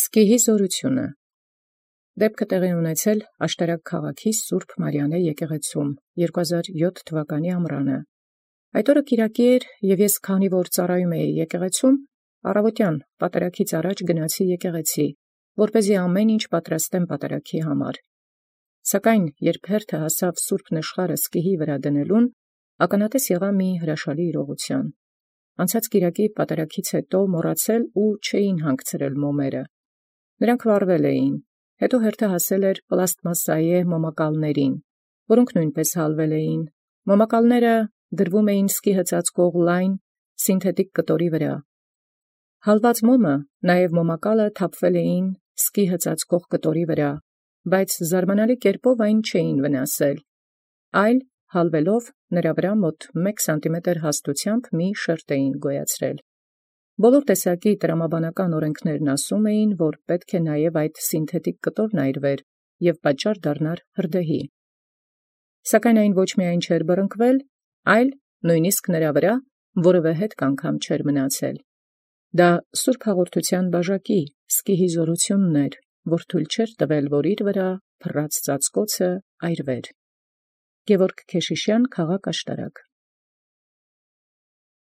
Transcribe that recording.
Սկիհի զորութիւնը դեպքը տեղի ունեցել Աշտարակ քաղաքի Սուրբ Մարիամէ եկեղեցում 2007 թվականի ամռանը։ Այդ օրը կիրակի էր, և ես քանի որ ծառայում էի եկեղեցում, առավոտյան պատարագից առաջ գնացի եկեղեցի, որպեսզի ամեն ինչ պատրաստեմ պատարագի համար։ Սակայն երբ հերթը հասավ սուրբ նշխարը սկիհի վրա դնելուն, ականատես եղա մի հրաշալի իրողութեան։ Անցած կիրակի պատարագից հետո մոռացել ու չէին հանգցրել մոմերը։ Նրանք վառվել էին, հետո հերթը հասել էր պլաստմասսայե մոմակալներին, որոնք նույնպես հալվել էին։ Մոմակալները դրվում էին սկիհը ծածկող լայն սինթետիկ կտորի վրա։ Հալված մոմը, նաև մոմակալը թափվել էին սկիհը ծածկող կտորի վրա, բայց զարմանալի կերպով այն չէին վնասել, այլ հալվելով նրա վրա մոտ 1 սանտիմետր հաստությամբ մի շերտ էին գոյացրել։ Բոլոր տեսակի տրամաբանական օրենքներն ասում էին, որ պետք է նաև այդ սինթետիկ կտորն այրվեր և պատճառ դառնար հրդեհի։ Սակայն այն ոչ միայն չէր բռնկվել, այլ նույնիսկ նրա վրա որևէ հետք անգամ չէր մնացել։ Դա սուրբ հաղորդութեան բաժակի սկիհի զորութիւնն էր, որ թույլ չէր տվել, որ իր վրա փռած ծածկոցը այրվեր։ Գևորգ Քեշիշյան, քաղաք Աշտարակ։